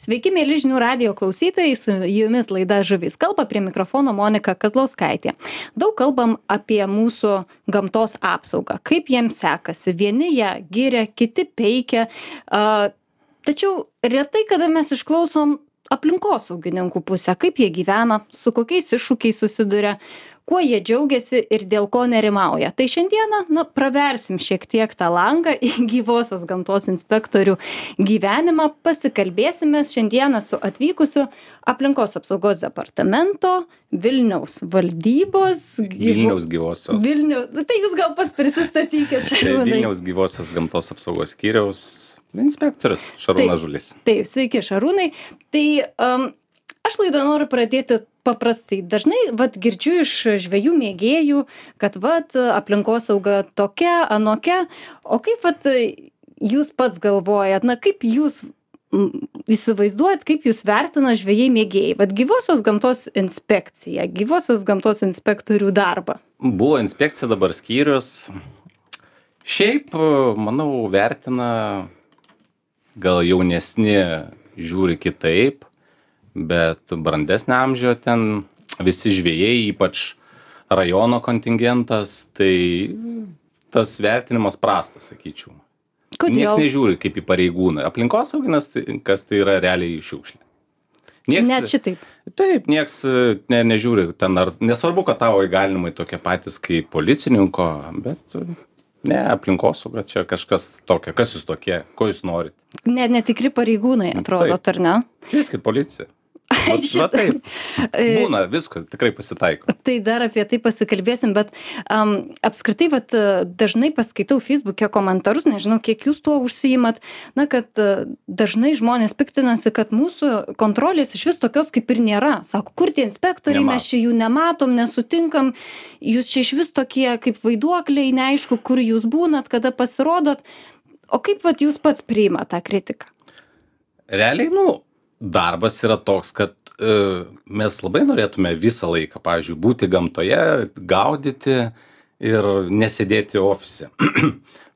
Sveiki, mėly žinių radijo klausytojai, su jumis laida Žuvys kalba, prie mikrofono Monika Kazlauskaitė. Daug kalbam apie mūsų gamtos apsaugą, kaip jiems sekasi. Vieni ją giria, kiti peikia. Tačiau retai, kada mes išklausom aplinkosaugininkų pusę, kaip jie gyvena, su kokiais iššūkiais susiduria, kuo jie džiaugiasi ir dėl ko nerimauja. Tai šiandieną praversim šiek tiek tą langą į gyvosios gamtos inspektorių gyvenimą. Pasikalbėsime šiandieną su atvykusiu aplinkos apsaugos departamento, Vilniaus valdybos. Vilniaus gyvosios. Tai jūs gal pats prisistatykit, Šarūnai. Vilniaus gyvosios gamtos apsaugos skyriaus inspektorius Šarūnas Žulis. Taip, sveiki Šarūnai. Tai aš laidą noriu pradėti paprastai. Dažnai girdžiu iš žvejų mėgėjų, kad aplinkosauga tokia, anokia. O kaip jūs pats galvojat, kaip jūs įsivaizduojat, kaip jūs vertina žvejai mėgėjai? Gyvosios gamtos inspekcija, gyvosios gamtos inspektorių darbą. Buvo inspekcija, dabar skyrius. Šiaip, manau, vertina gal jaunesni žiūri kitaip, bet brandesnio amžio ten visi žvejai, ypač rajono kontingentas, tai tas vertinimas prastas, sakyčiau. Kodėl? Niekas nežiūri kaip į pareigūną. Aplinkosauginas, kas tai yra realiai šiukšlė. Net šitaip. Taip, niekas nežiūri. Nesvarbu, kad tavo įgalinimai tokie patys kaip policininko, bet ne, aplinkosauga čia kažkas tokio. Kas jūs tokie? Ko jūs norite? Netikri pareigūnai, atrodo, ar ne? Kvieskit policiją. Taip. Būna, visko, tikrai pasitaiko. Tai dar apie tai pasikalbėsim, bet apskritai dažnai paskaitau Facebook'e komentarus, nežinau, kiek jūs tuo užsiimat, kad dažnai žmonės piktinasi, kad mūsų kontrolės iš vis tokios kaip ir nėra. Sako, kur tie inspektoriai, mes čia jų nematom, nesutinkam, jūs čia iš vis tokie kaip vaiduokliai, neaišku, kur jūs būnat, kada pasirodot. O kaip jūs pats priima tą kritiką? Realiai, darbas yra toks, kad mes labai norėtume visą laiką, pavyzdžiui, būti gamtoje, gaudyti ir nesėdėti ofise.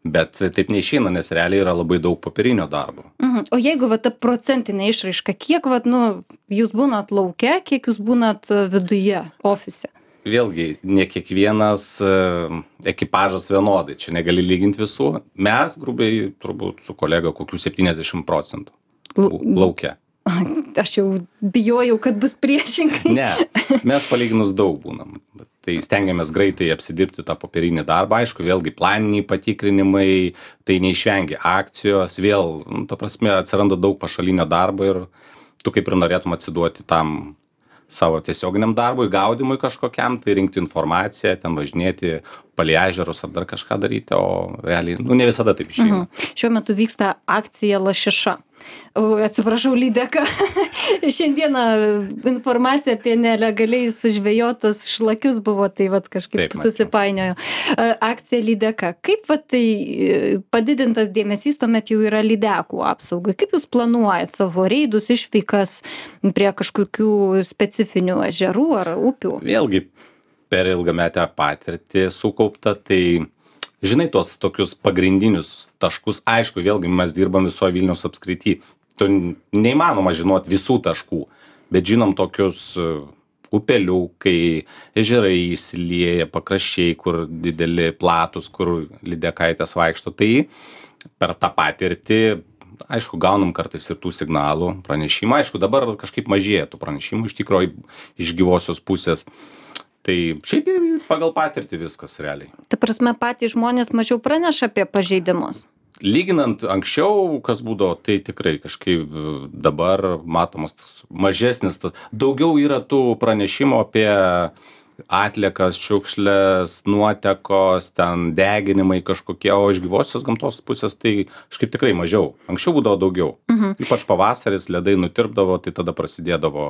Bet taip neišeina, nes realiai yra labai daug popierinio darbo. O jeigu ta procentinė išraiška, kiek jūs būnat lauke, kiek jūs būnat viduje, ofise? Vėlgi, ne kiekvienas ekipažas vienodai, čia negali lyginti visų. Mes, grubiai, turbūt su kolega, kokių 70% lauke. Aš jau bijojau, kad bus priešingai. Ne, mes palyginus daug būnam. Tai stengiamės greitai apsidirbti tą popierinį darbą. Aišku, vėlgi planiniai patikrinimai, tai neišvengia akcijos, vėl, ta prasme, atsiranda daug pašalinio darbo ir tu kaip ir norėtum atsiduoti tam savo tiesioginiam darbui, gaudimui kažkokiam, tai rinkti informaciją, ten važinėti palei ežerus ar dar kažką daryti, o realiai, ne visada taip išeina. Šiuo metu vyksta akcija Lašiša. Atsiprašau, lydeka. Šiandieną informacija apie nelegaliai sužvejotus šlakius buvo, tai kažkaip susipainiojo. Akcija lydeka. Kaip tai padidintas dėmesys tuomet jau yra lydekų apsaugai? Kaip jūs planuojat savo reidus, išvykas prie kažkokių specifinių ežerų ar upių? Vėlgi, per ilgametę patirtį sukaupta, tai žinai tos tokius pagrindinius taškus, aišku, vėlgi mes dirbam visoje Vilniaus apskrity, tu neįmanoma žinoti visų taškų, bet žinom tokius upeliukai, ežerai įsilieja, pakraščiai, kur dideli platus, kur lydekaitės vaikšto, tai per tą patirtį, aišku, gaunam kartais ir tų signalų, pranešimų, aišku, dabar kažkaip mažėja tų pranešimų, iš tikrųjų iš gyvosios pusės. Tai šiaip pagal patirtį viskas realiai. Ta prasme, patys žmonės mažiau praneša apie pažeidimus? Lyginant anksčiau, kas būdavo, tai tikrai kažkaip dabar matomas mažesnis, daugiau yra tų pranešimų apie atliekas, šiukšlės, nuotekos, ten deginimai kažkokie, o iš gyvosios gamtos pusės tai kažkaip tikrai mažiau. Anksčiau būdavo daugiau. Ypač pavasaris, ledai nutirpdavo, tai tada prasidėdavo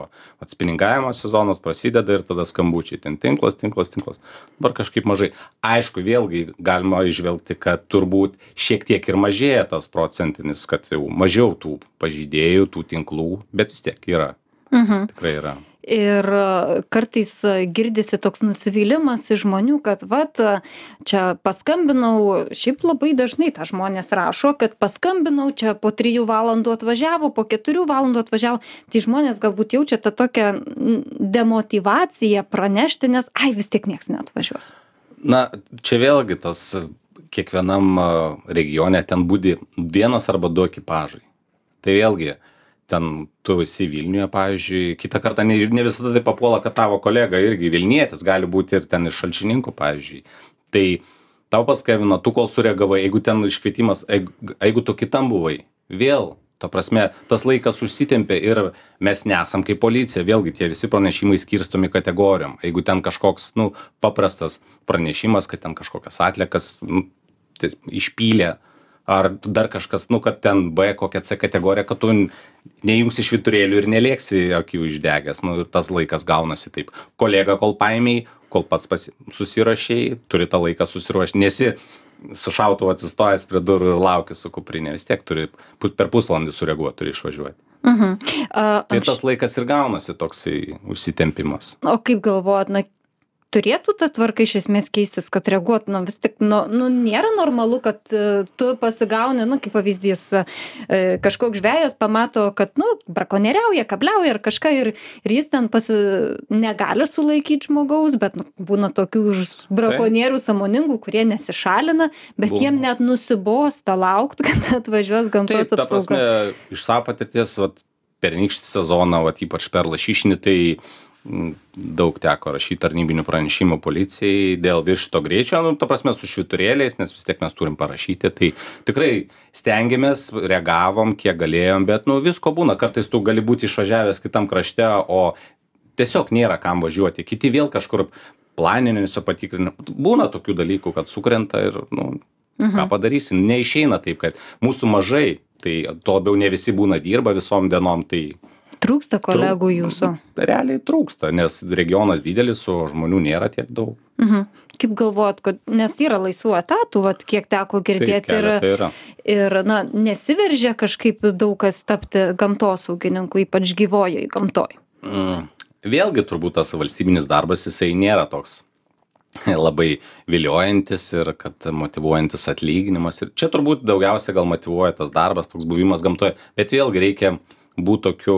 atspiningavimo sezonas, prasideda ir tada skambučiai. Ten tinklas. Dabar kažkaip mažai. Aišku, vėlgi galima išvelgti, kad turbūt šiek tiek ir mažėja tas procentinis, kad jau mažiau tų pažeidėjų, tų tinklų, bet vis tiek yra. Tikrai yra. ir kartais girdisi toks nusivylimas iš žmonių, kad vat, čia paskambinau, šiaip labai dažnai tą žmonės rašo, kad paskambinau, čia po 3 valandų atvažiavo, po 4 valandų atvažiavo, tai žmonės galbūt jaučia tą tokią demotyvaciją pranešti, nes ai vis tiek nieks neatvažiuos. Na, čia vėlgi tas kiekvienam regione ten būdi 1 arba 2 ekipažai. Tai vėlgi, ten tu esi Vilniuje, pavyzdžiui, kitą kartą ne visada tai papuola, kad tavo kolega irgi Vilnietis, gali būti ir ten iš Šalčininkų, pavyzdžiui. Tai tau paskambino, tu kol sureagavai, jeigu ten iškvietimas, jeigu tu kitam buvai, vėl, ta prasme, tas laikas užsitempė ir mes nesam kaip policija, vėlgi tie visi pranešimai skirstomi kategorijom. Jeigu ten kažkoks, paprastas pranešimas, kad ten kažkokias atliekas išpylė, ar dar kažkas, kad ten B kokia C kategorija, kad tu neįjungsi švyturėlių ir nelėksi akių išdegęs, ir tas laikas gaunasi taip. Kolega kol paėmėjai, kol pats susirašėjai, turi tą laiką susiruošti, nesi su šautuvu atsistojęs prie durų ir lauki su kuprinė, vis tiek turi per pusvalandį sureaguoti, turi išvažiuoti. Tai tas laikas ir gaunasi toksai užsitempimas. O kaip galvojat, turėtų ta tvarka iš esmės keistis, kad reaguotų, vis tik, nėra normalu, kad tu pasigauni, kaip pavyzdys, kažkoks žvejas pamato, kad, brakonieriauja, kabliauja ar kažką ir jis ten negali sulaikyti žmogaus, bet būna tokių brakonierių sąmoningų, kurie nesišalina, bet jiem net nusibosta laukti, kad atvažiuos gamtos apsauga. Taip, ta prasme, iš savo patirties, pernykštį sezoną, ypač per lašišinį, tai daug teko rašyti tarnybinių pranešimų policijai dėl viršyto greičio, ta prasme su švyturėliais, nes vis tiek mes turim parašyti, tai tikrai stengiamės, reagavom, kiek galėjom, bet visko būna, kartais tu gali būti išvažiavęs kitam krašte, o tiesiog nėra kam važiuoti, kiti vėl kažkur planiniuose patikrinimu, būna tokių dalykų, kad sukrenta ir, ką padarysim, neišeina taip, kad mūsų mažai, tai to labiau ne visi būna dirba visom dienom, tai trūksta kolegų jūsų? Realiai trūksta, nes regionas didelis, o žmonių nėra tiek daug. Kaip galvojat, kad nes yra laisvų etatų, kiek teko girdėti, ir nesiveržia kažkaip daug kas tapti gamtosaugininku, ypač gyvojoj gamtoj? Vėlgi turbūt tas valstybinis darbas, jisai nėra toks labai viliojantis ir kad motyvuojantis atlyginimas. Ir čia turbūt daugiausia gal motyvuoja tas darbas, toks buvimas gamtoje, bet vėlgi reikia būti tokiu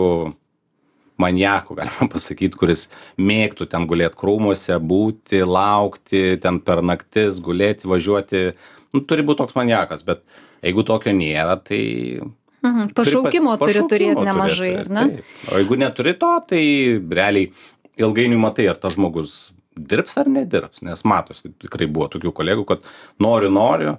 maniaku, galima pasakyti, kuris mėgtų ten gulėti krūmuose, būti, laukti, ten per naktis gulėti, važiuoti. Turi būti toks maniakas, bet jeigu tokio nėra, tai... Pašaukimo turi turėti nemažai, ar ne? O jeigu neturi to, tai realiai ilgainiui matai, ar tas žmogus dirbs ar nedirbs, nes matosi, tikrai buvo tokių kolegų, kad noriu,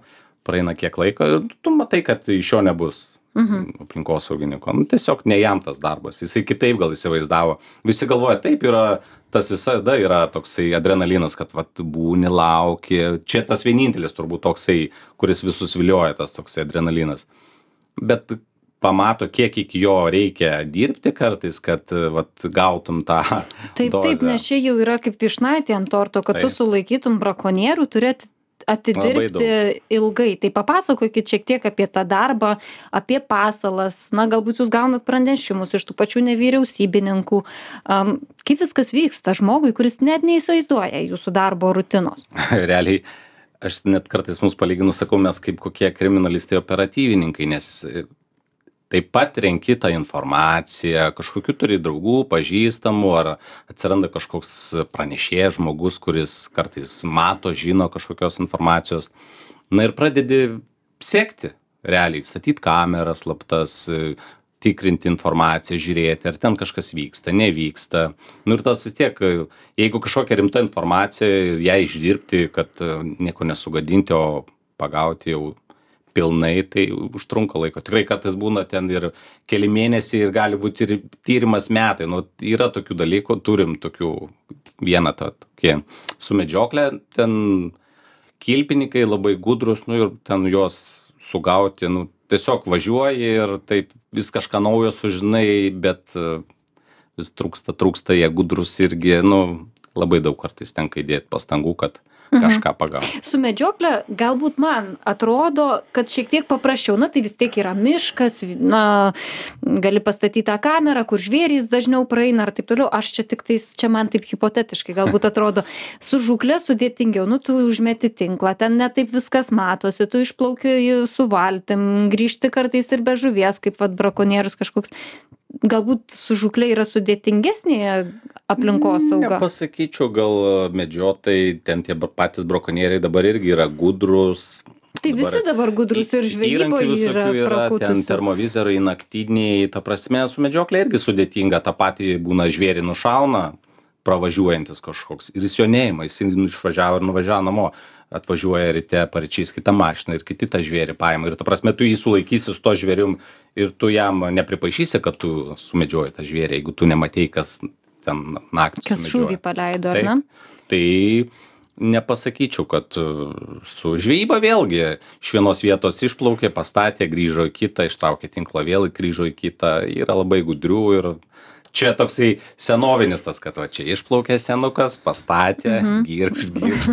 praeina kiek laiko ir tu matai, kad iš jo nebus aplinkosaugininko. Tiesiog ne jam tas darbas. Jisai kitaip gal įsivaizdavo. Visi galvoja, taip yra, tas visada yra toksai adrenalinas, kad būni, lauki. Čia tas vienintelis turbūt toksai, kuris visus vilioja, tas toksai adrenalinas. Bet pamato, kiek iki jo reikia dirbti kartais, kad gautum tą dozę. Taip, nes čia jau yra kaip vyšnaitė ant torto, kad tu sulaikytum brakonierių, turėti atidirbti ilgai. Tai papasakokit šiek tiek apie tą darbą, apie pasalas, galbūt jūs gaunat pranešimus iš tų pačių nevyriausybininkų. Kaip viskas vyksta žmogui, kuris net neįsivaizduoja jūsų darbo rutinos? Realiai, aš net kartais mums palyginu, sakau, mes kaip kokie kriminalistai operatyvininkai, nes taip pat renki tą informaciją, kažkokių turi draugų, pažįstamų, ar atsiranda kažkoks pranešėjas žmogus, kuris kartais mato, žino kažkokios informacijos. Ir pradedi sekti, realiai, statyti kameras slaptas, tikrinti informaciją, žiūrėti, ar ten kažkas vyksta, nevyksta. Ir tas vis tiek, jeigu kažkokia rimta informacija ir ją išdirbti, kad nieko nesugadinti, o pagauti jau pilnai, tai užtrunka laiko. Tikrai kartais būna ten ir keli mėnesiai ir gali būti ir tyrimas metai. Yra tokių dalykų, turim tokių vieną tokį su medžioklė, ten kilpininkai labai gudrus, ir ten juos sugauti, tiesiog važiuoji ir taip vis kažką naujo sužinai, bet vis trūksta, jie gudrus irgi, labai daug kartais tenka įdėti pastangų, kad kažką pagaut. Su medžiokle galbūt man atrodo, kad šiek tiek paprasčiau, na tai vis tiek yra miškas, na, gali pastatyti tą kamerą, kur žvėrys dažniau praeina ar taip toliau. Aš čia man taip hipotetiškai galbūt atrodo, su žūkle sudėtingiau, nu tu užmeti tinklą, ten netaip viskas matosi, tu išplauki su valtim, grįžti kartais ir be žuvies, kaip vat brakonierius kažkoks. Galbūt su žūkle yra sudėtingesnė aplinkosauga. Nepasakyčiau, gal medžiotojai, ten tie patys brakonieriai dabar irgi yra gudrus. Tai visi dabar gudrus ir žvejyboje yra prakutusi. Ten termovizoriai, naktiniai, ta prasme, su medžioklė irgi sudėtinga, tą patį būna žvėrį nušauna, pravažiuojantis kažkoks ir jis jo neima, jis išvažiavo ir nuvažiavo namo. Atvažiuoja ryte paryčiais kitą mašiną ir kiti tą žvėrį paima. Ir ta prasme, tu jį sulaikysi su to žvėrium ir tu jam nepripaišysi, kad tu sumedžioji tą žvėrį, jeigu tu nematei, kas ten naktį kas sumedžioja. šūvį paleido, ar ne? Tai nepasakyčiau, kad su žvejyba vėlgi iš vienos vietos išplaukė, pastatė, grįžo į kitą, ištraukė tinklą vėl, grįžo į kitą. Yra labai gudrių ir čia toksai senovinis tas, kad va čia išplaukė senukas, pastatė, girkš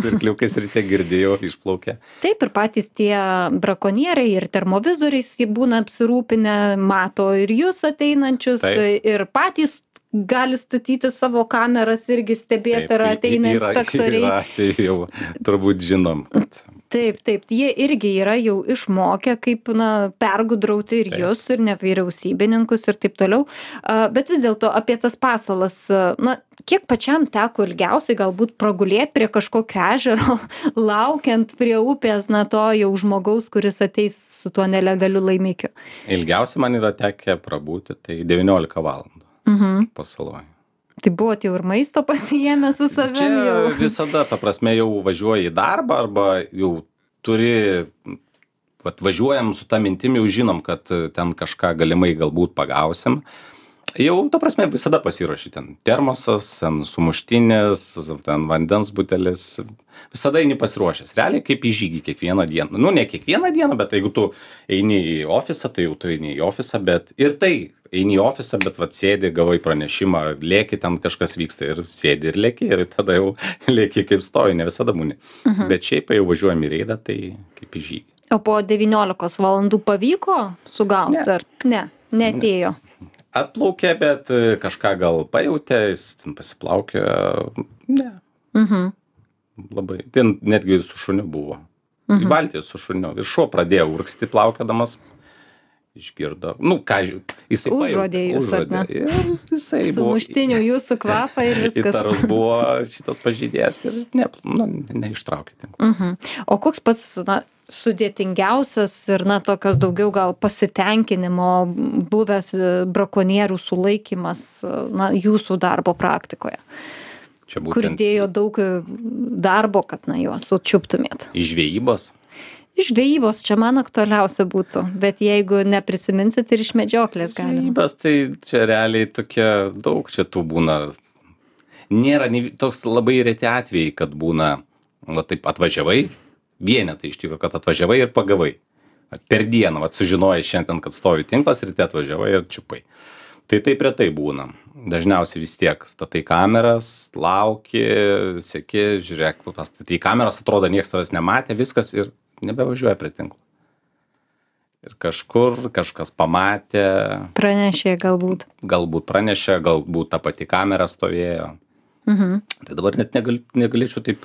ir kliukais ryte girdėjau, išplaukė. Taip, ir patys tie brakonieriai ir termovizoriais jie būna apsirūpinę, mato ir jūs ateinančius, ir patys gali statyti savo kameras irgi stebėti, ar ateina inspektoriai. Yra atvejų jau turbūt žinom. Taip, jie irgi yra jau išmokę, kaip pergudrauti ir jūs, ir nevyriausybininkus ir taip toliau. Bet vis dėlto apie tas pasalas, kiek pačiam teko ilgiausiai galbūt pragulėti prie kažkokio ežero, laukiant prie upės, to jau žmogaus, kuris ateis su tuo nelegaliu laimikiu? Ilgiausiai man yra tekę prabūti, tai 19 valandų pasaloj. Tai buvot jau ir maisto pasiėmę su savim jau? Čia visada, ta prasme, jau važiuoji į darbą arba jau turi, važiuojam su ta mintim, jau žinom, kad ten kažką galimai galbūt pagausim. Jau, ta prasme, visada pasiruoši ten termosas, ten sumuštinis, ten vandens butelis. Visada eini pasiruošęs. Realiai kaip į žygį kiekvieną dieną. Nu, ne kiekvieną dieną, bet jeigu tu eini į ofisą, tai jau tu eini į ofisą, bet ir tai eini į ofisą, bet sėdi, gavai pranešimą, lėki, ten kažkas vyksta ir sėdi ir lėki ir tada jau lėki kaip stoji, ne visada būni. Bet šiaip jau važiuojam į reidą, tai kaip į žygį. O po 19 valandų pavyko sugauti? Ar ne? Neatėjo? Atplaukė, bet kažką gal pajautė, jis ten pasiplaukė, ne. Labai, ten netgi su šuniu buvo. Į valtį su šuniu. Ir šuo pradėjo urgsti plaukėdamas, išgirdo. Nu, ką, jisai užuodė jūs, ar ne? Jisai buvo. Sumuštinių jūsų kvapą ir viskas. Įtarus buvo šitas pažeidėjas ir neištraukė tinklą. O koks pats, sudėtingiausias ir tokios daugiau gal pasitenkinimo buvęs brakonierių sulaikymas jūsų darbo praktikoje? Čia būtent, kur dėjo daug darbo, kad juos sučiuptumėt? Iš žvejybos? Iš žvejybos čia man aktualiausia būtų, bet jeigu neprisiminsit ir iš medžioklės galima. Žvejybos tai čia realiai tokia daug čia tų būna. Nėra toks labai reti atvejai, kad būna, taip atvažiavai, vienetai iš tikrųjų, kad atvažiavai ir pagavai. Per dieną, sužinojai šiandien, kad stovi tinklas, ryte atvažiavai ir čiupai. Tai taip retai būna. Dažniausiai vis tiek statai kameras, lauki, seki, žiūrėk, pastatai kameras, atrodo, niekas tavęs nematė, viskas ir nebevažiuoja prie tinklo. Ir kažkur kažkas pamatė. Pranešė galbūt. Galbūt pranešė, galbūt ta pati kamera stovėjo. Tai dabar net negalėčiau taip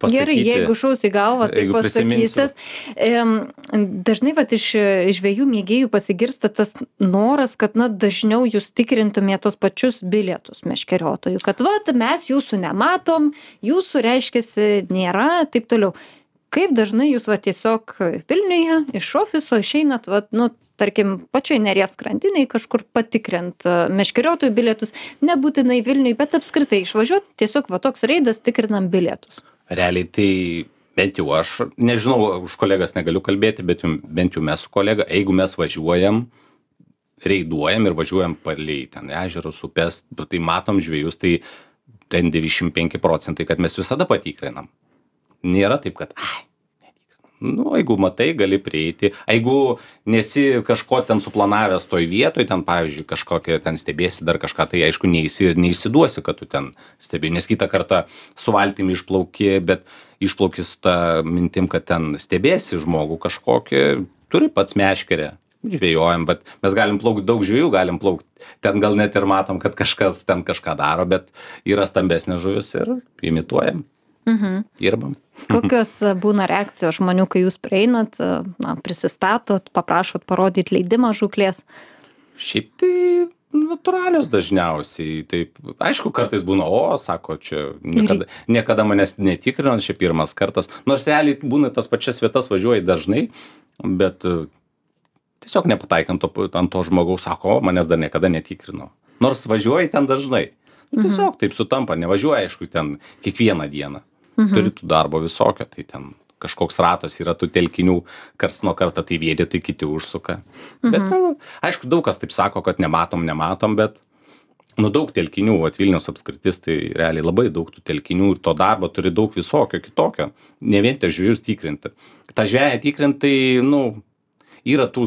pasakyti. Gerai, jeigu šaus į galvą, tai pasakysit. Dažnai iš žvejų mėgėjų pasigirsta tas noras, kad dažniau jūs tikrintumėte tos pačius bilietus meškeriotojų, kad mes jūsų nematom, jūsų reiškiasi nėra, taip toliau. Kaip dažnai jūs tiesiog Vilniuje iš ofiso išeinat, tarkim, pačioj Neries krantinėj kažkur patikrint meškeriotojų bilietus, nebūtinai Vilniuje, bet apskritai išvažiuoti, tiesiog toks reidas tikrinam bilietus. Realiai tai bent jau aš, nežinau, už kolegas negaliu kalbėti, bet bent jau mes su kolega, jeigu mes važiuojam, reiduojam ir važiuojam palei ten ežerus, upės, tai matom žvejus, tai ten 95%, kad mes visada patikrinam. Nėra taip, kad Nu, jeigu matai, gali prieiti. Jeigu nesi kažko ten suplanavęs toj vietoj, ten, pavyzdžiui, kažkokią ten stebėsi dar kažką, tai aišku, neįsiduosi, kad tu ten stebi. Nes kitą kartą su valtimi išplauki, bet išplauki su ta mintim, kad ten stebėsi žmogų kažkokį, turi pats meškerę. Žvejojam, bet mes galim plaukti, daug žvejų galim plaukti. Ten gal net ir matom, kad kažkas ten kažką daro, bet yra stambesnė žuvis ir imituojam. Dirbam. Kokios būna reakcijos žmonių, kai jūs prieinat, prisistatot, paprašot parodyti leidimą žūklės? Šiaip tai natūralios dažniausiai. Taip, aišku, kartais būna, sako, čia niekada manęs netikrino, čia pirmas kartas. Nors realiai būna tas pačias vietas važiuoji dažnai, bet tiesiog nepataikant ant to žmogaus, sako, manęs dar niekada netikrino. Nors važiuoji ten dažnai. Tiesiog taip sutampa, nevažiuoji, aišku, ten kiekvieną dieną. Turi tų darbo visokio, tai ten kažkoks ratas yra tų telkinių, karts nuo kartą tai viedi, tai kiti užsuka. Bet, aišku, daug kas taip sako, kad nematom, bet, daug telkinių, Vilniaus apskritis, tai realiai labai daug tų telkinių ir to darbo turi daug visokio, kitokio. Ne vien tik žvejus tikrinti. Ta žveja tikrinti, yra tų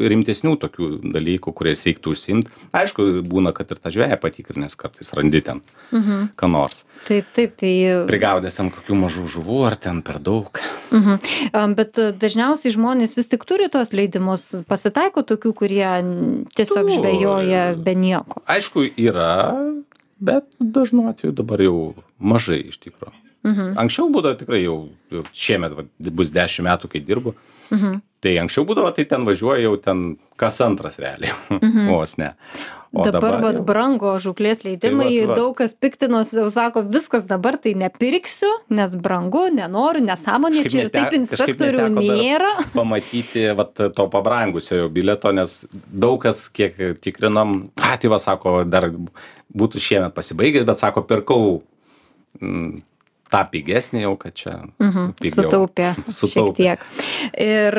rimtesnių tokių dalykų, kuriais reiktų užsiimti. Aišku, būna, kad ir ta žveja patikrinės kartais randi ten, ką nors. Taip, tai... Prigaudęs ten kokių mažų žuvų, ar ten per daug. Bet dažniausiai žmonės vis tik turi tos leidimus. Pasitaiko tokių, kurie tiesiog žvejoja be nieko. Aišku, yra, bet dažnu atveju dabar jau mažai iš tikrųjų. Anksčiau būdavo tikrai jau šiemet bus 10 metų, kai dirbu. Tai anksčiau būdavo, tai ten važiuoja jau ten kas antras realiai. Vos ne. O dabar brango žūklės leidimai, tai daug kas piktinos, jau sako, viskas dabar tai nepirksiu, nes brangu, nenoriu, nesąmonė, čia ir taip inspektorių nėra. Pamatyti to pabrangusio jau bileto, nes daug kas, kiek tikrinom, tai sako, dar būtų šiemet pasibaigęs, bet sako, pirkau tą pigesnį jau, kad čia sutaupė šiek tiek. Ir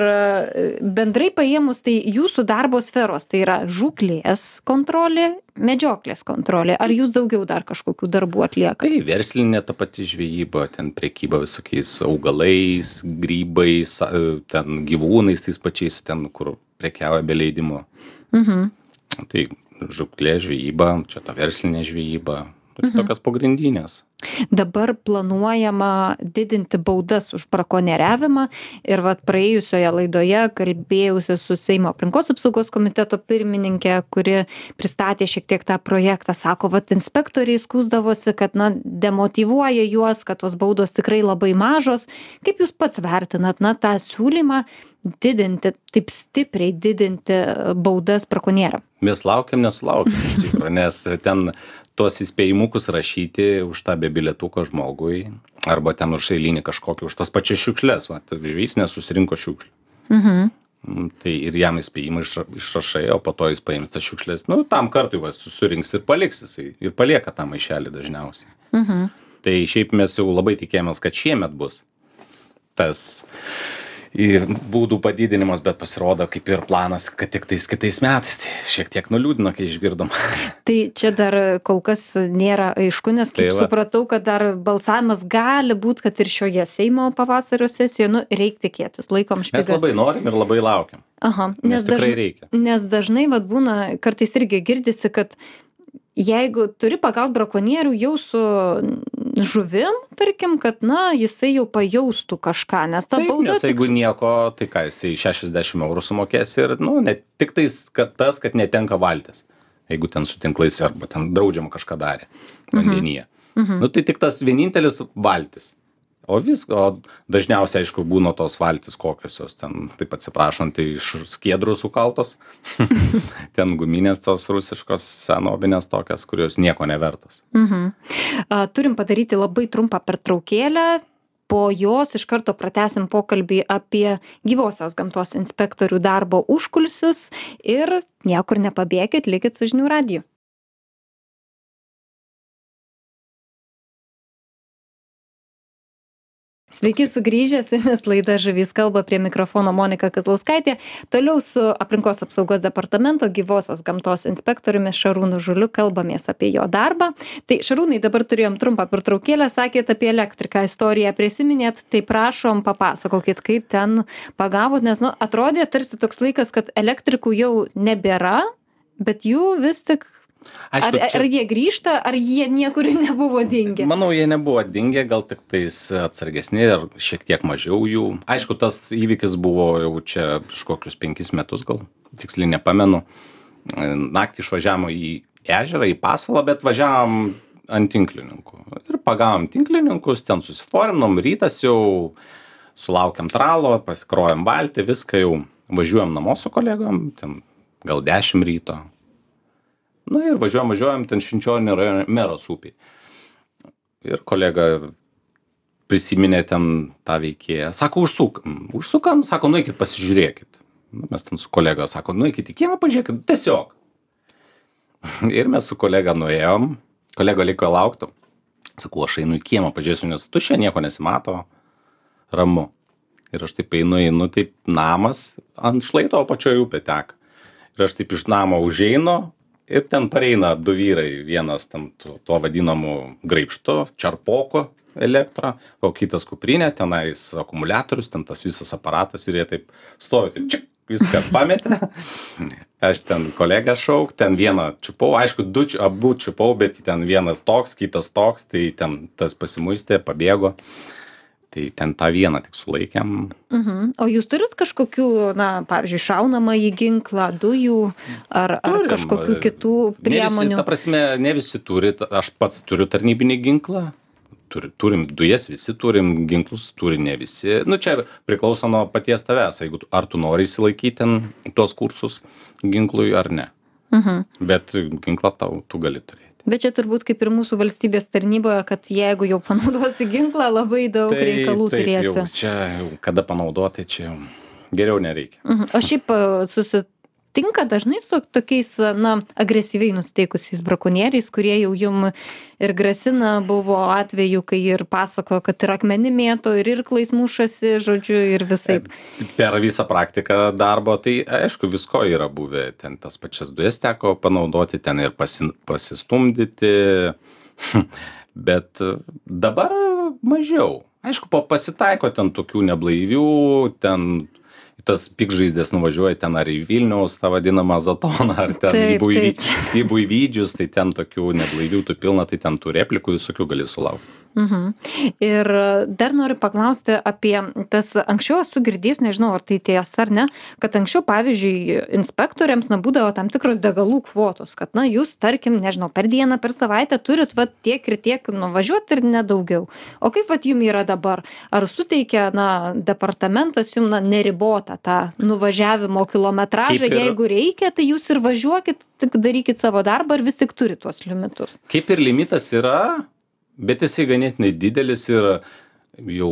bendrai paėmus, tai jūsų darbo sferos, tai yra žūklės kontrolė, medžioklės kontrolė. Ar jūs daugiau dar kažkokių darbų atlieka? Tai verslinė ta pati žvejyba, ten prekyba visokiais augalais, grybais, ten gyvūnais tais pačiais, ten kur prekiauja be leidimo. Tai žūklė, žvejyba, čia ta verslinė žvejyba. Tokios pagrindinės. Dabar planuojama didinti baudas už brakonieriavimą ir praėjusioje laidoje kalbėjausi su Seimo aplinkos apsaugos komiteto pirmininkė, kuri pristatė šiek tiek tą projektą. Sako, inspektoriai skųsdavosi, kad demotyvuoja juos, kad tos baudos tikrai labai mažos. Kaip jūs pats vertinat tą siūlymą didinti, taip stipriai didinti baudas brakonieriam? Mes laukiam, nesulaukiam iš tikrųjų, nes ten tuos įspėjimukus rašyti už tą be bilietuko žmogui, arba ten už eilinį kažkokį, už tas pačias šiukšles. Žvejys nesusirinko šiukšlių. Tai ir jam įspėjimą išrašai, o po to jis paims tas šiukšles. Tam kartui susirinks ir paliks jisai. Ir palieka tą maišelį dažniausiai. Tai šiaip mes jau labai tikėjomės, kad šiemet bus tas būdų padidinimas, bet pasirodo kaip ir planas, kad tik tais kitais metais. Tai šiek tiek nuliūdino, kai išgirdom. Tai čia dar kol kas nėra aišku, nes kaip supratau, kad dar balsavimas gali būti, kad ir šioje Seimo pavasario sesijoje, reik tikėtis, laikom špygas. Mes labai norim ir labai laukiam. Nes tikrai reikia. Nes dažnai būna, kartais irgi girdisi, kad jeigu turi pagaut brakonierių jau su žuvim, tarkim, kad jisai jau pajaustų kažką, nes ta bauda... Nes jeigu nieko, tai ką, jisai 60 eurų sumokės ir, ne tik tais, kad netenka valtis, jeigu ten su tinklais arba ten draudžiama kažką darė vandenyje. Tai tik tas vienintelis valtis. O dažniausiai, aišku, būna tos valtis kokiosios, ten, taip atsiprašant, tai iš skiedrų sukaltos, ten guminės tos rusiškos senobinės tokias, kurios nieko nevertos. Turim padaryti labai trumpą pertraukėlę, po jos iš karto pratęsim pokalbį apie gyvosios gamtos inspektorių darbo užkulisius ir niekur nepabėkit, likit su Žinių radiju. Sveiki sugrįžę, su jumis laida Žuvys kalba, prie mikrofono Monika Kazlauskaitė. Toliau su aplinkos apsaugos departamento gyvosios gamtos inspektoriumi Šarūnu Žuliu kalbamės apie jo darbą. Tai Šarūnai, dabar turėjom trumpą pertraukėlę, sakėt apie elektriką istoriją, prisiminėt, tai prašom papasakokit, kaip ten pagavot, nes atrodė tarsi toks laikas, kad elektrikų jau nebėra, bet jų vis tik... Aišku, ar jie grįžta, ar jie niekur nebuvo dingę? Manau, jie nebuvo dingę, gal tik tais atsargesni ir šiek tiek mažiau jų. Aišku, tas įvykis buvo jau čia prieš kokius 5 metus, gal tiksliai nepamenu. Naktį išvažiavom į ežerą, į pasalą, bet važiavom ant tinklininkų. Ir pagavom tinklininkus, ten susiforinom, rytas jau sulaukiam tralo, pasikrojam valtį, viską jau važiuojam namo su kolegom, ten gal 10 ryto. Na ir važiuojam ten Švenčionio rajone Meros upėj. Ir kolega prisiminė ten tą veikėją. Sako, užsukam, sako, nueikit pasižiūrėkit. Mes ten su kolega, sako, nueikit į kiemą, pažiūrėkit, tiesiog. Ir mes su kolega nuėjom, kolega liko laukti. Sakau, aš einu į kiemą, pažiūrėsiu, nes tuščia, nieko nesimato, ramu. Ir aš taip einu, taip namas ant šlaito apačioje upė teka. Ir aš taip iš namo užeinu. Ir ten pareina 2 vyrai, vienas ten tuo vadinamu graibštu, čarpoko elektrą, o kitas kuprinė, tenais akumuliatorius, ten tas visas aparatas ir jie taip stovi, taip čik, viską pametė. Aš ten kolegą šauk, ten vieną čiupau, aišku, abu čiupau, bet ten vienas toks, kitas toks, tai ten tas pasimuistė, pabėgo. Tai ten tą vieną tik sulaikėm. O jūs turit kažkokių, pavyzdžiui, šaunamą į ginklą, dujų ar kažkokių kitų priemonių? Ta prasme, ne visi turi, aš pats turiu tarnybinį ginklą, turim dujas, visi turim ginklus, turi ne visi. Čia priklauso nuo paties tavęs, jeigu ar tu nori įsilaikyti ten tuos kursus ginklui ar ne. Bet ginklą tu gali turėti. Bet čia turbūt kaip ir mūsų valstybės tarnyboje, kad jeigu jau panaudosi ginklą, labai daug reikalų turėsi. Jau, čia jau kada panaudoti, čia jau geriau nereikia. O šiaip susitinka dažnai su tokiais, agresyviai nusteikusiais brakonieriais, kurie jau jum ir grasina, buvo atveju, kai ir pasakojo, kad ir akmenį mėto, ir irklais mušasi, žodžiu, ir visaip. Per visą praktiką darbo, tai aišku, visko yra buvę. Ten tas pačias dujas teko panaudoti, ten ir pasistumdyti. Bet dabar mažiau. Aišku, pasitaiko ten tokių neblaivių, ten tas pikžaizdės nuvažiuoja ten ar į Vilniaus, tą vadinamą Zatoną, ar ten į Buivydžius, tai ten tokių neblaivių tų pilna, tai ten tų replikų visokių gali sulaukti. Ir dar noriu paklausti apie tas, anksčiau esu girdėjus, nežinau, ar tai tiesa ar ne, kad anksčiau, pavyzdžiui, inspektoriams būdavo tam tikros degalų kvotos, kad, jūs, tarkim, nežinau, per dieną, per savaitę turit tiek ir tiek nuvažiuoti ir nedaugiau. O kaip jum yra dabar? Ar suteikia, departamentas jum neribotą tą nuvažiavimo kilometražą, jeigu reikia, tai jūs ir važiuokit, tik darykit savo darbą ir vis tik turi tuos limitus? Kaip ir limitas yra, bet jisai ganėtinai didelis ir jau,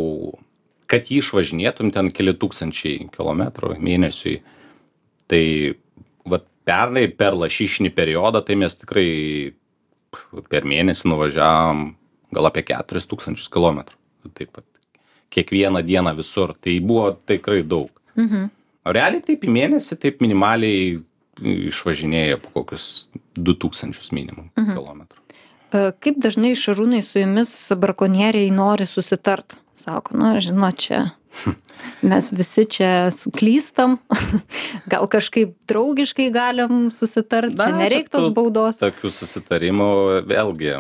kad jį išvažinėtum ten keli tūkstančiai kilometrų mėnesiui, tai pernai per lašišinį periodą, tai mes tikrai per mėnesį nuvažiavom gal apie 4000 kilometrų. Taip pat kiekvieną dieną visur, tai buvo tikrai daug. O realiai taip į mėnesį, taip minimaliai išvažinėja po kokius 2000 minimum kilometrų. Kaip dažnai, Šarūnai, su jumis brakonieriai nori susitart? Sako, žinot, čia mes visi čia suklystam, gal kažkaip draugiškai galim susitart, čia nereik tos baudos. Tokių susitarimų, vėlgi,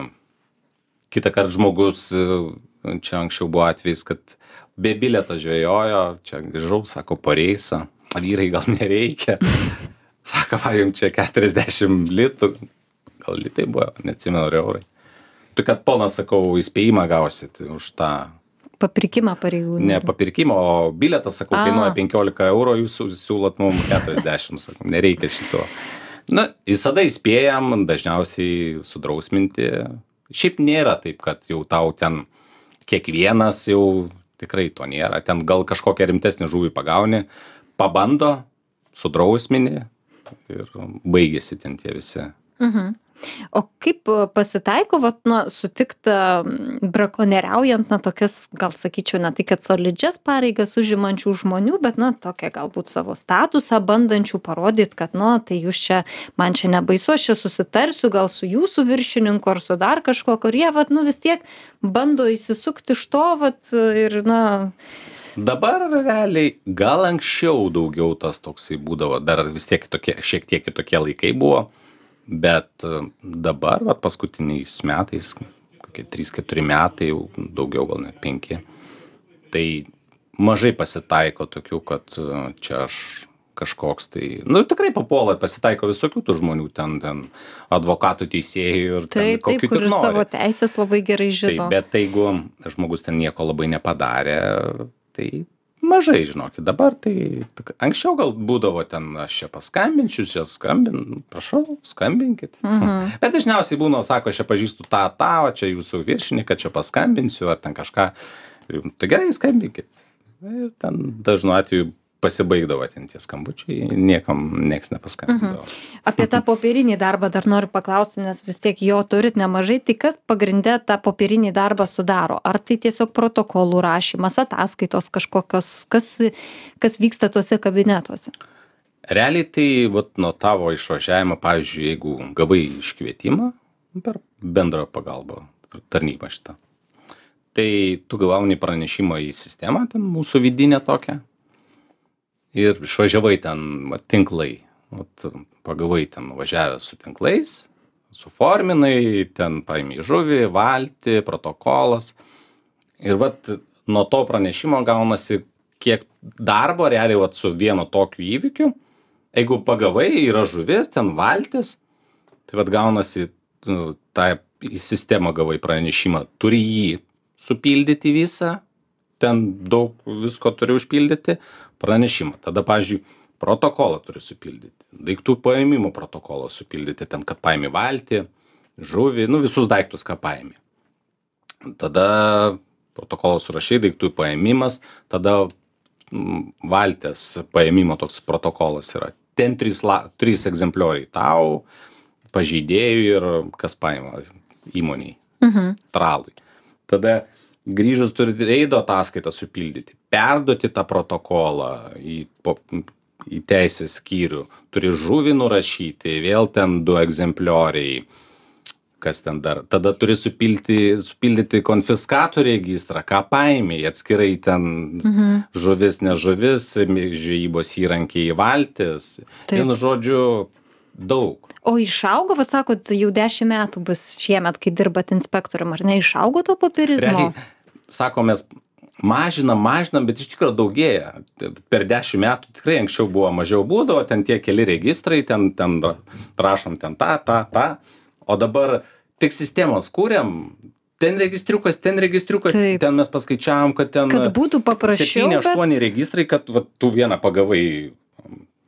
kitą kartą žmogus, čia anksčiau buvo atvejis, kad be bilieto žvejojo, čia grįžau, sako, po reisą, vyrai gal nereikia, sako, jums čia 40 litų. Gal litai buvo, neatsimenu, ar eurai. Tu, kad ponas, sakau, įspėjimą gausit už tą... Papirkimą pareigūnų. Ne papirkimą, o biletas, sakau, kainuoja 15 eurų, jūs siūlot mums 40, sakau, nereikia šito. Visada įspėjam, dažniausiai sudrausminti. Šiaip nėra taip, kad jau tau ten kiekvienas jau tikrai to nėra. Ten gal kažkokią rimtesnį žuvį pagauni, pabando, sudrausmini ir baigėsi ten tie visi. O kaip pasitaiko, vat, na, sutikta brakonieriaujant, na, tokias, gal sakyčiau, ne tai, kad solidžias pareigas užimančių žmonių, bet, na, tokia galbūt savo statusą bandančių parodyti, kad, na, tai jūs čia, man čia nebaisu, aš čia susitarsiu gal su jūsų viršininku ar su dar kažkuo, kurie, vat, nu, vis tiek bando įsisukti iš to, vat, ir, na... Dabar realiai gal anksčiau daugiau tas toksai būdavo, dar vis tiek tokie, šiek tiek kitokie laikai buvo, bet dabar, vat, paskutiniais metais, kokie 3-4 metai, jau daugiau gal net 5, tai mažai pasitaiko tokių, kad čia aš kažkoks tai, nu tikrai papuola, pasitaiko visokių tų žmonių, ten advokatų, teisėjų ir taip, kokių kur tik nori. Savo teisės labai gerai žino. Taip, bet jeigu žmogus ten nieko labai nepadarė, tai mažai, žinokit, dabar tai anksčiau gal būdavo ten, aš čia paskambinčiau, čia prašau, skambinkit. Bet dažniausiai būna, sako, aš čia pažįstu tą, o čia jūsų viršininką, čia paskambinsiu, ar ten kažką. Tai gerai, skambinkit. Ir ten dažnu atveju pasibaigdavo ten tie skambučiai, nieks nepaskambindavo. Apie tą popierinį darbą dar noriu paklausti, nes vis tiek jo turit nemažai, tai kas pagrinde tą popierinį darbą sudaro? Ar tai tiesiog protokolų rašymas, ataskaitos kažkokios, kas vyksta tuose kabinetuose? Realiai tai vat, nuo tavo išvažiavimo, pavyzdžiui, jeigu gavai iškvietimą per bendrą pagalbą tarnybą šitą, tai tu gauni pranešimą į sistemą, ten mūsų vidinę tokią, ir išvažiavai ten tinklai, pagavai ten važiavęs su tinklais, suforminai, ten paimi žuvį, valtį, protokolas. Ir vat nuo to pranešimo gaunasi kiek darbo realiai vat su vienu tokiu įvykiu. Jeigu pagavai, yra žuvis, ten valtis, tai vat gaunasi, tą į sistemą gavai pranešimą, turi jį supildyti visą, ten daug visko turi užpildyti, pranešimą. Tada, pavyzdžiui, protokolą turi supildyti, daiktų paėmimo protokolą supildyti, ten, kad paėmė valtį, žuvį, nu visus daiktus, ką paėmė. Tada protokolą surašai, daiktų paėmimas, tada valtės paėmimo toks protokolas yra. Ten 3 egzemplioriai tau, pažeidėjui ir kas paėmė įmoniai, tralui. Tada grįžus turi reido ataskaitą supildyti, perduoti tą protokolą į teisės skyrių, turi žuvį nurašyti, vėl ten 2 egzemplioriai, kas ten dar, tada turi supildyti konfiskatų registrą, ką paėmė, atskirai ten žuvis, nežuvis, žvejybos įrankiai, valtis, vienu žodžiu, daug. O išaugo, vat sakot, jau 10 metų bus šiemet, kai dirbat inspektorium, ar ne, išaugo to popierizmo? Realiai, sako, mes mažinam, bet iš tikrųjų daugėja. Per 10 metų tikrai anksčiau buvo mažiau būdavo, ten tie keli registrai, ten rašom ten tą, o dabar tik sistemos kūrėm, ten registriukas, taip. Ten mes paskaičiavom, kad ten kad būtų paprasčiau, 7-8 registrai, kad va, tu vieną pagavai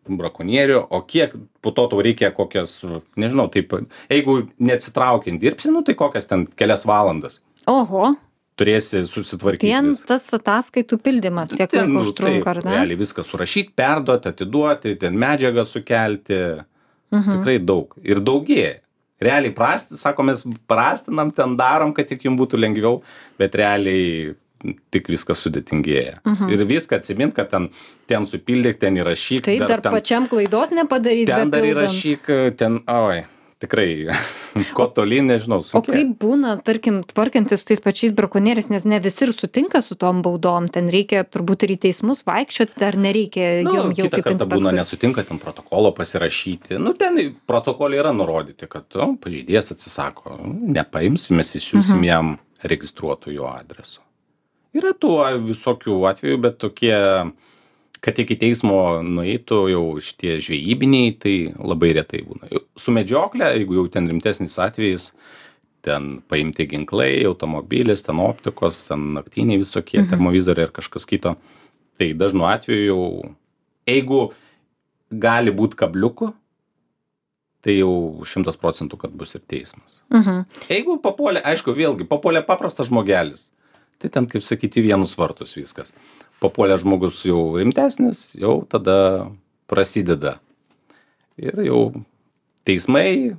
brakonierių, o kiek po to tau reikia kokias, nežinau, taip, jeigu neatsitraukiant dirbsi, nu tai kokias ten kelias valandas. Oho. Turėsi susitvarkyti. Ten tas ataskaitų pildymas tiek laiko užtrunka, ar ne? Realiai viską surašyti, perduoti, atiduoti, ten medžiagą sukelti. Tikrai daug. Ir daugėja. Realiai sako, mes prastinam, ten darom, kad tik jums būtų lengviau, bet realiai tik viskas sudėtingėja. Ir viską atsimint, kad ten supildyk, ten įrašyk. Taip, dar pačiam klaidos nepadaryti. Ten dar įrašyk, tikrai, ko tolyn, nežinau, sunkiai. O kaip būna, tarkim, tvarkantis su tais pačiais brakonieriais, nes ne visi ir sutinka su tom baudom, ten reikia turbūt ir į teismus vaikščioti, ar nereikia jau kaip kitą kartą būna nesutinka, ten protokolo pasirašyti. Ten protokolai yra nurodyti, kad pažeidėjas atsisako, nepaimsim, mes išsiųsim jam registruotų jo adresu. Yra tų visokių atvejų, bet tokie, kad iki teismo nueitų jau šitie žvejybiniai, tai labai retai būna. Su medžioklė, jeigu jau ten rimtesnis atvejis, ten paimti ginklai, automobilis, ten optikos, ten naktiniai visokie, termovizoriai ir kažkas kito, tai dažnu atveju jau, jeigu gali būti kabliukų, tai jau 100%, kad bus ir teismas. Jeigu papuolė, aišku, vėlgi, papuolė paprastas žmogelis, tai ten, kaip sakyti, vienus vartus viskas. Papuolė žmogus jau rimtesnis, jau tada prasideda. Ir jau teismai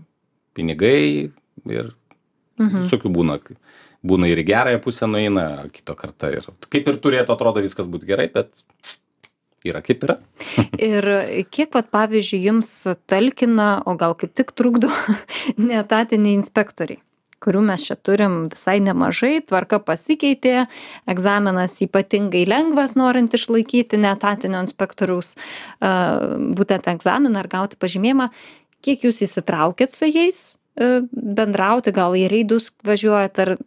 pinigai ir visokių būna. Būna ir į gerąją pusę nueina, kito kartą ir kaip ir turėtų atrodo viskas būti gerai, bet yra kaip yra. Ir kiek, vat, pavyzdžiui, jums talkina, o gal kaip tik trukdo neetatiniai inspektoriai, kurių mes čia turim visai nemažai, tvarka pasikeitė, egzaminas ypatingai lengvas, norint išlaikyti neetatinio inspektoriaus būtent egzaminą ar gauti pažymėjimą. Kiek jūs įsitraukėt su jais bendrauti, gal į reidus važiuojat ar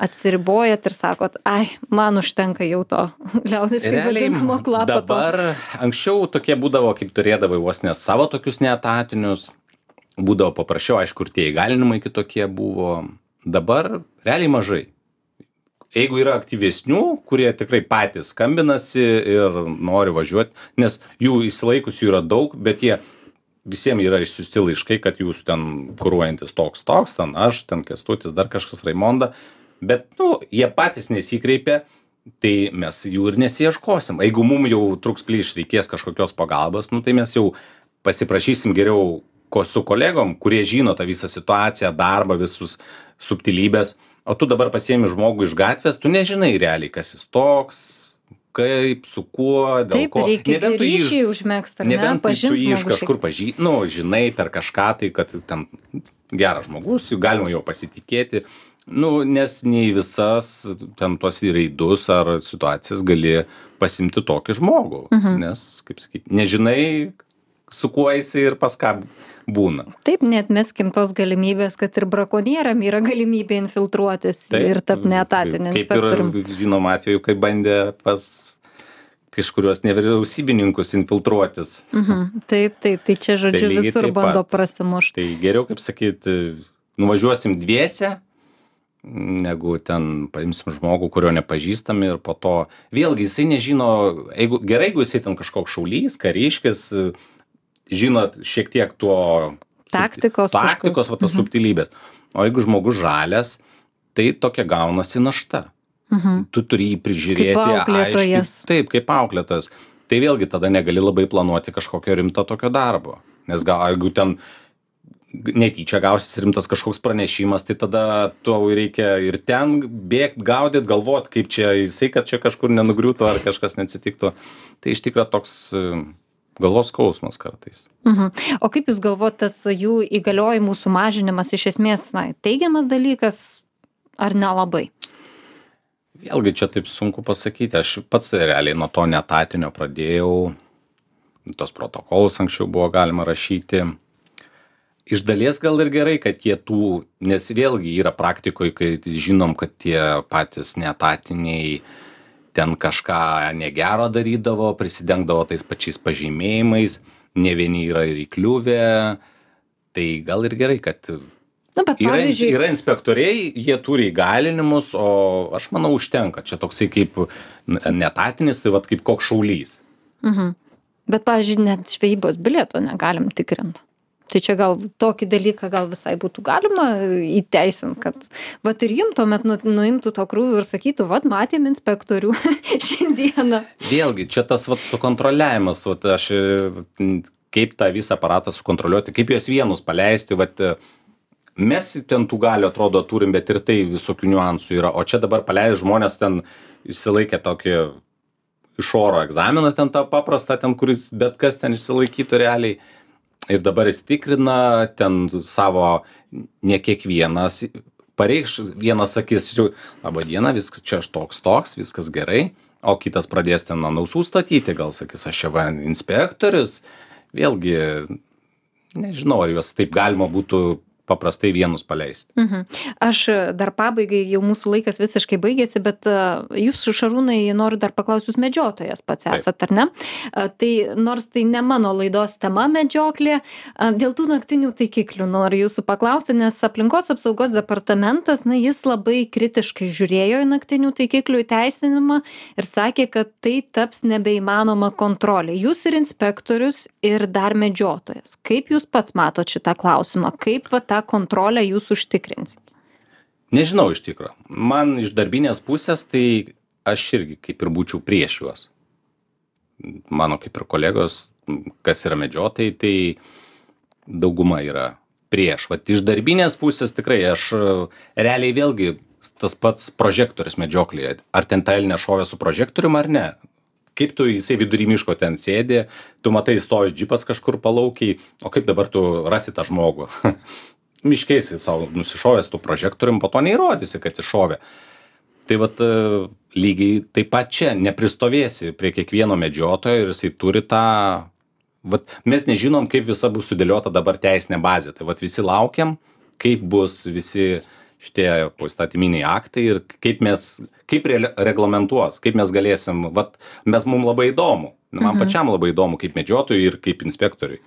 atsiribojat ir sakot, ai, man užtenka jau to liaudiškai vadinamo klapato. Dabar anksčiau tokie būdavo, kaip turėdavai vos ne savo tokius neetatinius, būdavo paprasčiau, aišku, ir tie įgalinimai kitokie buvo. Dabar realiai mažai. Jeigu yra aktyvesnių, kurie tikrai patys skambinasi ir nori važiuoti, nes jų įsilaikusių yra daug, bet jie visiems yra išsiųsti laiškai, kad jūs ten kuruojantis toks, ten aš, ten Kęstutis, dar kažkas Raimonda. Bet, jie patys nesikreipia, tai mes jų ir nesiieškosim. Jeigu mums jau truks plyš reikės kažkokios pagalbos, tai mes jau pasiprašysim geriau su kolegom, kurie žino tą visą situaciją, darbą, visus subtilybės. O tu dabar pasiemi žmogų iš gatvės, tu nežinai realiai, kas jis toks, kaip, su kuo, dėl ko. Taip, reikia ryšį užmegzti, ar ne, pažinti žmogų. Nebent tu jį iš kažkur žinai per kažką, tai kad ten geras žmogus, galima jo pasitikėti. Nes nei visas ten tuos reidus ar situacijas gali pasimti tokį žmogų, nes, kaip sakyti, nežinai, su kuo jisai ir pas ką būna. Taip, neatmeskim tos galimybės, kad ir brakonieriam yra galimybė infiltruotis ir tapti neetatiniu inspektorium. Kaip ir žinom atveju, kai bandė pas kažkurios nevyriausybininkus infiltruotis. Taip, tai čia žodžiu visur bando prasimušti. Tai geriau, kaip sakyti, nuvažiuosim dviese, negu ten paimsim žmogų, kurio nepažįstam ir po to vėlgi jisai nežino, jeigu jisai ten kažkoks šaulys, kariškis, žinot šiek tiek tuo taktikos va tas subtilybės. O jeigu žmogus žalias, tai tokia gaunasi našta. Tu turi jį prižiūrėti. Kaip auklėtojas. Taip, kaip auklėtojas. Tai vėlgi tada negali labai planuoti kažkokio rimto tokio darbo. Nes jeigu ten netyčia gausis rimtas kažkoks pranešimas, tai tada tau reikia ir ten bėgt, gaudyt, galvot, kaip čia jisai, kad čia kažkur nenugriūtų ar kažkas neatsitiktų. Tai iš tikrųjų toks galvos skausmas kartais. O kaip jūs galvojat, tas jų įgaliojimų sumažinimas iš esmės teigiamas dalykas ar nelabai? Vėlgi čia taip sunku pasakyti. Aš pats realiai nuo to neetatinio pradėjau. Tos protokolus anksčiau buvo galima rašyti. Iš dalies gal ir gerai, kad jie nes vėlgi yra praktikoje, kai žinom, kad tie patys neetatiniai ten kažką negero darydavo, prisidengdavo tais pačiais pažymėjimais, ne vieni yra ir įkliuvę, tai gal ir gerai, kad yra inspektoriai, jie turi įgalinimus, o aš manau užtenka, čia toksai kaip neetatinis, tai kaip koks šaulys. Bet, pavyzdžiui, net žvejybos bilieto negalim tikrinti. Tai čia gal tokį dalyką gal visai būtų galima įteisinti, kad vat ir jums tuomet nuimtų to krūvį ir sakytų, vat matėm inspektorių šiandieną. Vėlgi, čia tas sukontroliavimas, aš kaip tą visą aparatą sukontroliuoti, kaip juos vienus paleisti, mes ten tų galių atrodo turim, bet ir tai visokių niuansų yra, o čia dabar paleidžiu žmonės ten išsilaikė tokį iš oro egzaminą, ten tą paprastą, ten kuris bet kas ten išsilaikytų realiai. Ir dabar jis tikrina ten savo, ne kiekvienas pareikš, vienas sakys, laba diena, viskas čia aš toks, viskas gerai, o kitas pradės ten ant ausų statyti, gal sakys, aš čia inspektorius, vėlgi, nežinau, ar juos taip galima būtų paprastai vienus paleisti. Aš dar pabaigai, jau mūsų laikas visiškai baigėsi, bet jūs, Šarūnai, noriu dar paklausti, jūs medžiotojas pats esat, ar ne? Tai nors tai ne mano laidos tema medžioklė, dėl tų naktinių taikiklių noriu jūsų paklausti, nes aplinkos apsaugos departamentas, jis labai kritiškai žiūrėjo į naktinių taikiklių įteisinimą ir sakė, kad tai taps nebeįmanoma kontrolė. Jūs ir inspektorius, ir dar medžiotojas. Kaip jūs pats matot šitą klausimą? Kaip tą kontrolę jūs užtikrinsit? Nežinau iš tikrųjų. Man iš darbinės pusės, tai aš irgi kaip ir būčiau prieš juos. Mano kaip ir kolegos, kas yra medžiotojai, tai dauguma yra prieš. Vat iš darbinės pusės tikrai aš realiai vėlgi tas pats prožektorius medžioklėje. Ar ten ta elnė šovė su prožektorium ar ne? Kaip tu jisai vidury miško ten sėdi, tu matai, stovi džipas kažkur palaukiai, o kaip dabar tu rasi tą žmogų? Miškiai jisai savo nusišovęs tų prožektorium, po to neįrodysi, kad iššovė. Tai vat lygiai taip pat čia nepristovėsi prie kiekvieno medžiotojo ir jisai turi tą... Vat mes nežinom, kaip visa bus sudėliota dabar teisinė bazė. Tai vat visi laukiam, kaip bus visi šitie poįstatyminiai aktai ir kaip reglamentuos, kaip mes galėsim, vat mums labai įdomu, man pačiam labai įdomu kaip medžiotojui ir kaip inspektoriui.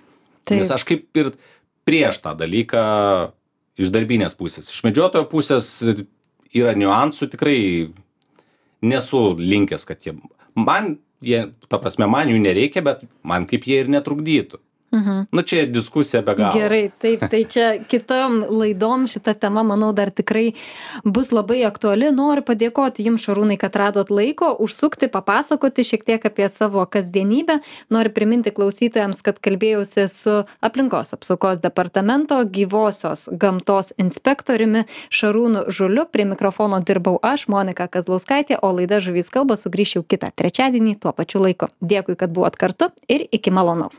Nes aš kaip ir prieš tą dalyką iš darbinės pusės. Iš medžiotojo pusės yra niuansų, tikrai nesu linkęs, kad man jų nereikia, bet man kaip jie ir netrukdytų. Nu, čia diskusija be galo. Gerai, taip, tai čia kitam laidom šita tema, manau, dar tikrai bus labai aktuali. Noriu padėkoti jums, Šarūnai, kad radot laiko, užsukti, papasakoti šiek tiek apie savo kasdienybę. Noriu priminti klausytojams, kad kalbėjausi su aplinkos apsaugos departamento gyvosios gamtos inspektoriumi Šarūnu Žuliu. Prie mikrofono dirbau aš, Monika Kazlauskaitė, o laida Žuvys kalba sugrįš jau kitą trečiadienį tuo pačiu laiku. Dėkui, kad buvot kartu ir iki malonaus.